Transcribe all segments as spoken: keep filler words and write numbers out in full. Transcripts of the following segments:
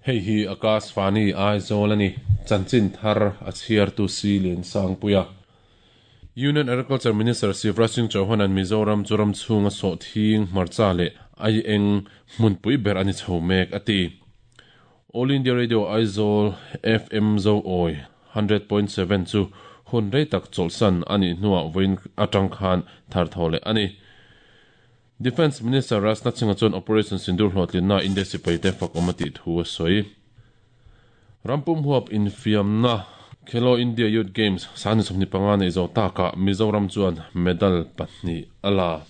Hei hi Akashvani Aizawl ani chanchin thar a chhiar tu si len sangpuia. Union Agriculture Minister Shivraj Singh Chauhan an Mizoram churam chhunga so thing hmarcha le ai eng hmunpui ber ani chho mek ati. All India Radio Aizawl F M Zo Oi one hundred point seven chu hun rei tak chawlhsan ani hnuah vawiin atang khan thar tho leh ani. Defence Minister Rajnath Singh chuan Operation Sindoor hlawhtlinna India sipai te fak awm a tih thu a sawi. Rampum huap infiamna Khelo India Youth Games sani sawmhnih panga nei zo taka Mizoram chuan medal pahnih a la.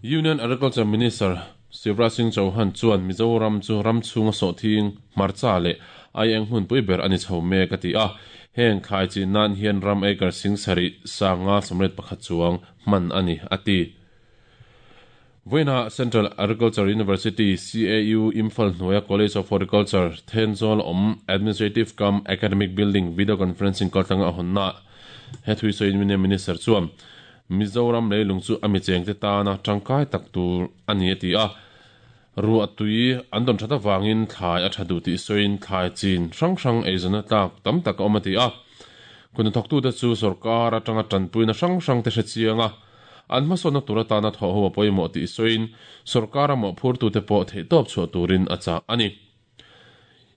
Union Agriculture Minister Shivraj Singh Chauhan chuan Mizoram chu ram chhunga sawhthing hmarcha leh ai eng hmunpui ber ani chho mek a ti a. Heng thlai chin nan hian ram acre sing sarih sanga sawmriat pakhat chuang hman ani ati. Voina Central Agriculture University C A U Imphal Hnuaia College of Horticulture Thenzawl awm Administrative cum Academic Building video conferencing kaltlanga a hawnna he thui sawiin Union Minister chuan Mizoram leilung chu a mi chengte tana tangkai tak tur ani a ti a. Ruah tui an dawn that awangin thlai a tha duh tih sawiin thlai chin hrang hrang eizawna tlak tam tak a awm a ti a. Kun thawktu te chu sarkar atanga tanpuina hrang hrang te hre chianga an hmasawnna tur atana thawh ho a pawimawh tih sawiin sarkar a mawhphurtu te pawh theih tawp chhuah turin a chah ani.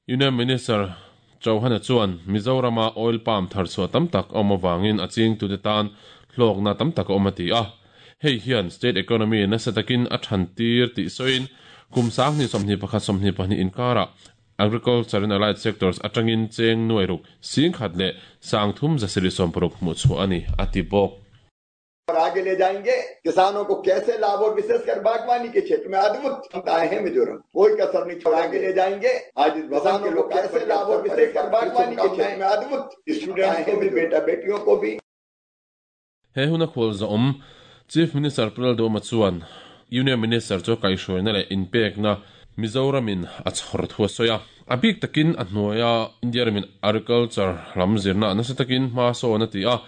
Union Minister Chauhan chuan Mizorama oil palm thar chhuah tam tak a awm awangin a chingtu te tan hlawkna tam tak a awm a ti a. Hei hian state economy nasa takin a than tir tih sawiin kum sang ni sawmhnih pakhat sawmhnih pahnih inkara agriculture and allied sectors atangin cheng nuai ruk sing khat leh sang thum zasiri sawm paruk hmuh chhuah ani a ti bawk. और आगे ले जाएंगे किसानों को कैसे लाभ और विशेषकर बागवानी के क्षेत्र में अद्भुत क्षमताएं हैं मिजोरम, कोई कसर नहीं छोड़ा। आगे ले जाएंगे आज इस भवन के लोग कैसे लाभ और विशेषकर बागवानी के क्षेत्र में अद्भुत स्टूडेंट्स को भी बेटा बेटियों को भी। He huna khol za awm Chief Minister Pu Lalduhoma chuan Union Minister chu kaihhruaina leh inpekna Mizoramin a chhawr thu a sawi a. A bik takin a hnuaia India ramin agriculture lam zirna nasa takin hma sawn a ti a.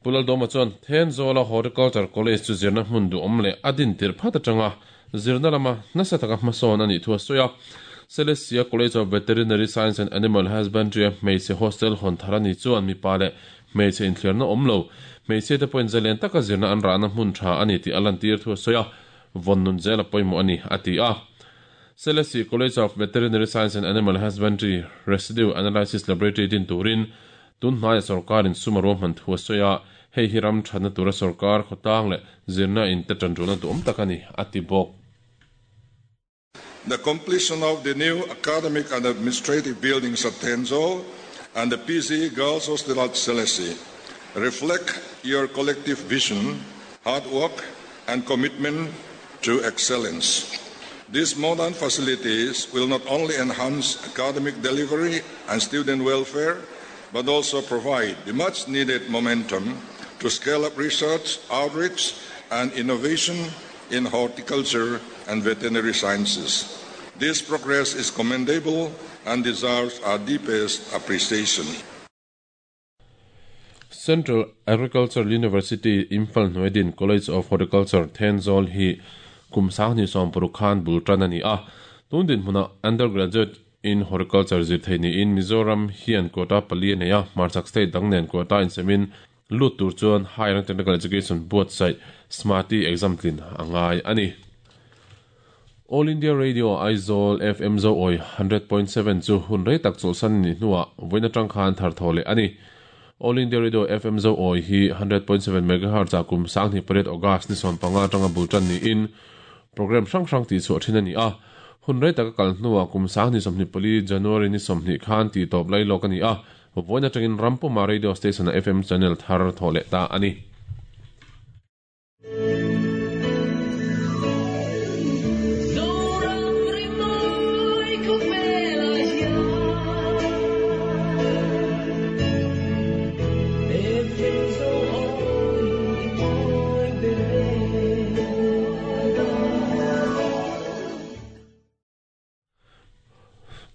Pu Lalduhoma chuan Thenzawla Horticulture College chu zirna hmun duh awm leh a din tir phat atanga zirna lama nasa taka hma sawn ani thu a sawi a. Celestia College of Veterinary Science and Animal Husbandry hmeichhe hostel hawn thar ani chuan mipa leh hmeichhe inthliarna awm lo hmeichhe te pawhin zalen taka zirna an rahna hmun tha ani tih a lantir thu a sawi a. Vawn nun zel a pawimawh ani a ti a. Celestia College of Veterinary Science and Animal Husbandry Residue Analysis Laboratory din turin tun hnaia sarkarin sum a ruahman thu a sawi a. Hei hi ram thatna tura sarkar khawtlang leh zirna in te tan runa duh awm tak ani a ti bawk. The completion of the new academic and administrative buildings at Thenzawl and the P Z Girls Hostel at Selesih reflect your collective vision, hard work and commitment to excellence. These modern facilities will not only enhance academic delivery and student welfare, but also provide the much-needed momentum to scale up research, outreach, and innovation in horticulture and veterinary sciences. This progress is commendable and deserves our deepest appreciation. Central Agricultural University Imphal Hnuaidin College of Horticulture Thenzawl hi kum sang ni sawm paruk khan bul tan ani a. Tundin hmuna undergraduate in horticulture zir thei ni in Mizoram hian quota pali nei a. Hmarchhak state dang nen quota in semin lut tur chuan higher technical education board site smarty exam tlin angai ani. All India Radio Aizawl F M Zo Oi one hundred point seven chu hun rei tak chawlhsan ni hnuah vawiin atang khan thar tho leh ani. All India Radio F M Zo Oi hi one hundred point seven megahertz a kum sang ni pariat August ni sawm panga atanga bul tan ni in program hrang hrang ti chhuah thin ani a. Hun rei taka kal hnuah kum sang ni sawmhnih pali January ni sawmhnih khan ti tawp lai lawk ani a. Vawiin atangin Rampuma Radio Station a F M channel thar tho leh ta ani.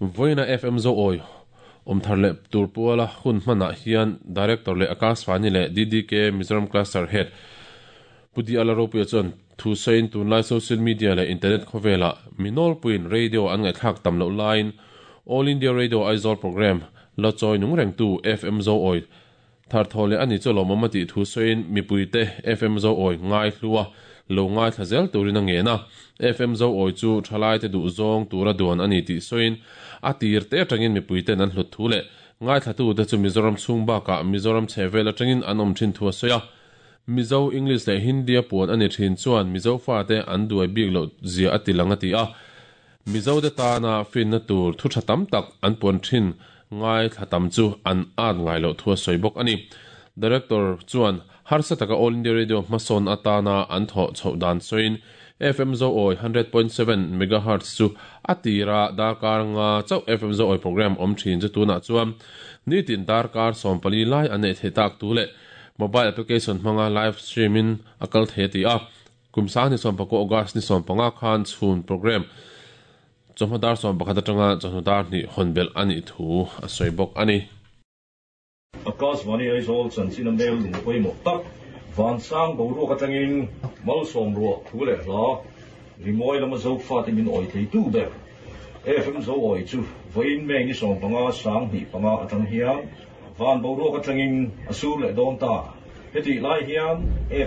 Voina F M Zo Oi omthar le turpuala hun hmana hian director le Akashvani le D D K Mizoram cluster head Pudi Alaropuia chuan Thu sein tunlai social media le internet khawvela minol puin radio an ngai thlak tam lo line All India Radio Aizawl program la choi nung reng tu F M Zo Oi thar thole ani cholo mamati thu sein mipuite F M Zo Oi ngai hluwa lo ngai thazel turin a nge na F M Zo Oi chu thalai te du zong tura duan ani ti soin atir te atangin mipuite nan hlut thu le ngai thatu te chu Mizoram chhung ba ka Mizoram chhevel atangin anom thin thua soya Mizo English le Hindi puan ani thin chuan Mizo fa te an duai bik lo zia atilanga ti a Mizo te ta na fin na tur thu thatam tak an puan thin ngai thatam chu an an ngai lo thua soibok ani Director chuan harsa taka All India Radio mason atana an tho chhodan soin F M Zo Oi one hundred point seven megahertz chu atira darkar nga chau F M Zo Oi program om thin chu tuna chuan nitin darkar sompali lai ane thetak tu le mobile application hmanga live streaming akal the ti a kumsa ni som pako August ni som panga khan chhun program chomhadar som pakhat atanga chonhadar ni honbel ani thu a soibok ani Akashvani Aizawl chanchin mail lung pawimawh tak vansang boruak atangin malsawm ruah thu leh hla rimawi lama zo fa te min awi thei tu ber F M Zo Oi chu vawiin meng ni sawm panga sang hnih panga atang hian van boruak atangin a sur leh dawn ta heti lai hian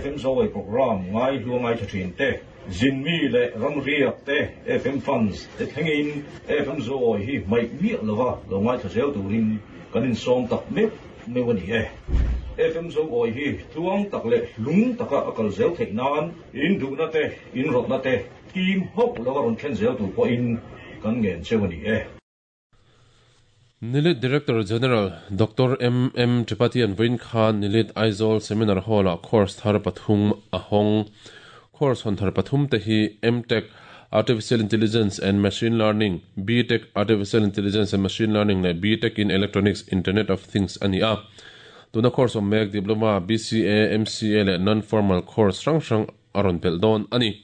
F M Zo Oi program ngai hluangai tha thin te zinmi le ramriak te F M funds te thlengin F M Zo Oi hi mai miah lova lo ngai tha zel turin kanin sawm tak mek mewani e F M Zo Oi hi tuang tak le lung taka akal zel thei nan in du na te in rot na te kim hok lo ron thlen zel tu po in kan ngen chewani e Nilit Director General Doctor M M Tripathi an Vin Khan Nilit Aizawl Seminar Hall a course thar pathum ahong course hon thar pathum te hi M Tech Artificial Intelligence and Machine Learning, B Tech Artificial Intelligence and Machine Learning le B Tech in Electronics Internet of Things ani a tuna course om mek diploma B C A M C A le non-formal course rang rang aron bel don ani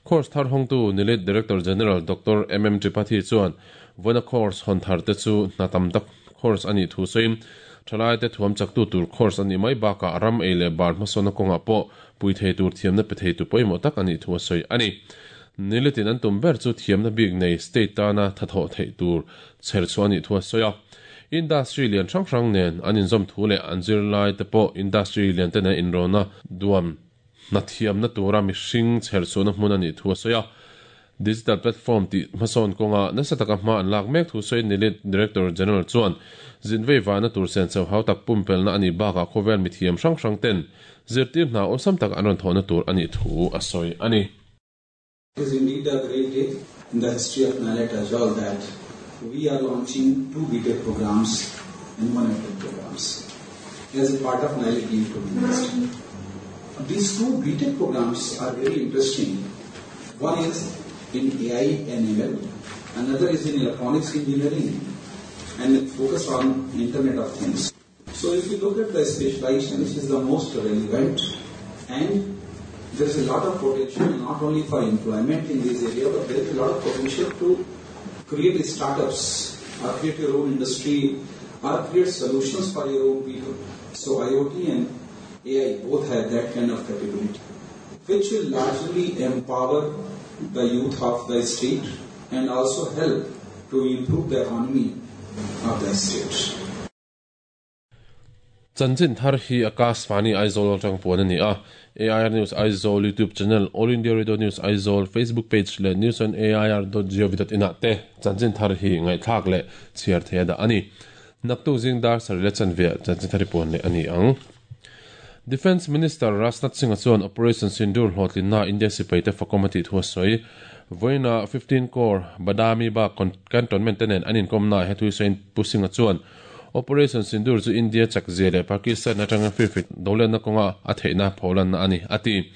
course thar hong tu Nilit Director General Doctor M M Tripathi chuan vona course hon thar te chu natam tak course ani thu soin thalai te thuam chak tu tur course ani mai ba ka ram e le bar masona konga po pui thei tur thiam na pe thei tu poimo tak ani thu soi ani Nilitin an tum ber chu thiam na big nei state ta na thatho thei tur cher chu ani thu soya industry lian hrang hrang nen an in zom thu le anjir lai te po industry lian te na in rona duam na thiam na tura mi hring cher chu na hmun ani thu soya digital platform ti mason konga na sataka ma an lak mek thu soi Nilit Director General chuan zinvei wa na tur sen chau hau tak pumpel na ani ba ka khovel mi thiam hrang hrang ten zirtir na awsam tak anon thona tur ani thu a soi ani. It is indeed a great day in the history of NIELIT as well that we are launching two B Tech programs and one M Tech programs as a part of NIELIT deemed to be university. These two B Tech programs are very interesting. One is in A I and M L, another is in electronics engineering and focus on Internet of Things. So if you look at the specialization, which is the most relevant, and there is a lot of potential not only for employment in this area, but there is a lot of potential to create startups or create your own industry or create solutions for your own people. So I O T and A I both have that kind of capability, which will largely empower the youth of the state and also help to improve the economy of the state. Chanchin thar hi Akashvani Aizawl atang puan ani a A I R News Aizawl YouTube channel, All India Radio News Aizawl Facebook page le news on A I R dot gov dot in te chanchin thar hi ngai thak le chiar the da ani naktu jingdar sarle chanvia chanchin thari puan le ani ang. Defense Minister Rajnath Singh chuan Operation Sindoor hlotlin na India sipai te fakomati thua soi voina fifteen Corps Badami ba cantonment tenen anin komna hetui soin pusinga chuan Operation Sindoor chu India chakzia le Pakistan atanga firfit dolen na konga a theina pholan na ani ati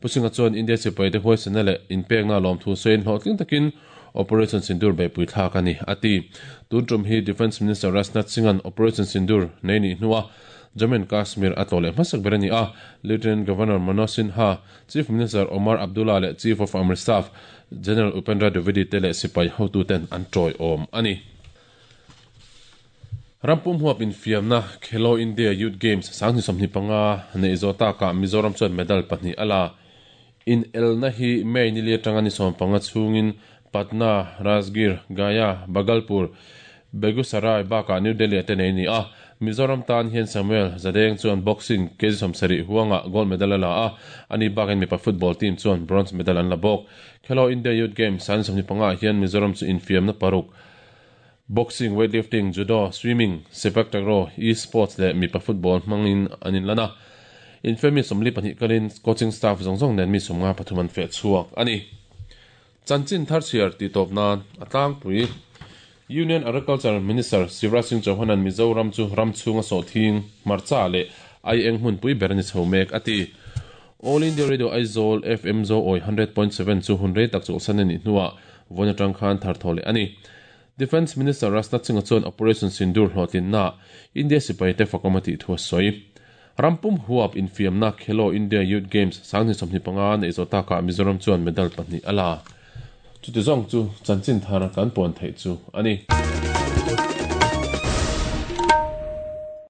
pusinga chuan India sipai te huaisena le inpek na lom thu soin hlotling takin Operation Sindoor be pui thlak ani ati tun tum hi Defense Minister Rajnath Singh an Operation Sindoor nei ni hnuwa Jammu and Kashmir atole masak berani a Lieutenant Governor Manoj Sinha, Chief Minister Omar Abdullah le Chief of Army Staff General Upendra Dwivedi tele sipai hotu ten an troi om ani. Rampum huap in fiamna Khelo India Youth Games sangni somni panga nei zota ka Mizoram chuan medal pahnih ala In elna hi May ni li atanga ni sawm panga chhungin Patna, Rajgir, Gaya, Bhagalpur, Begusarai bakah New Delhi te nei ni a. Mizoram tan hian Samuel Zadeng chuan boxing kg sawmsarih huanga gold medal a la a, ani bakin mipa football team chuan bronze medal an la bawk. Khelo India Youth Games san sawmhnih panga hian Mizoram chu infiamna paruk boxing, weightlifting, judo, swimming, sepak takraw, e-sports leh mipa football hmangin an inlan a. Infiam mi sawmli pahnih kalin coaching staff zawng zawng nen mi sawmnga pathum an feh chhuak a ni. Chanchin thar chhiar tih tawp nan a tlangpui Union Agriculture Minister Shivraj Singh Chauhan-a'n Mizoram chu ram chhunga sawhthing, hmarcha leh ai eng hmunpui ber a ni chho mek a ti. All India Radio Aizawl F M Zo Awi hundred point seven chu hun rei tak chawlhsan a nih hnuah vawiin atang khan thar thaw leh a ni. Defence Minister Rajnath Singh-a chuan Operation Sindoor hlawhtlinnaah India sipaite fakawm a tih thu a sawi. Rampum huap infiamna Khelo India Youth Games sanghnih sawmhnih panga neih zawh takah Mizoram chuan medal pahnih a la. Chuti zawng chu chanchin thar kan puan theih chu a ni.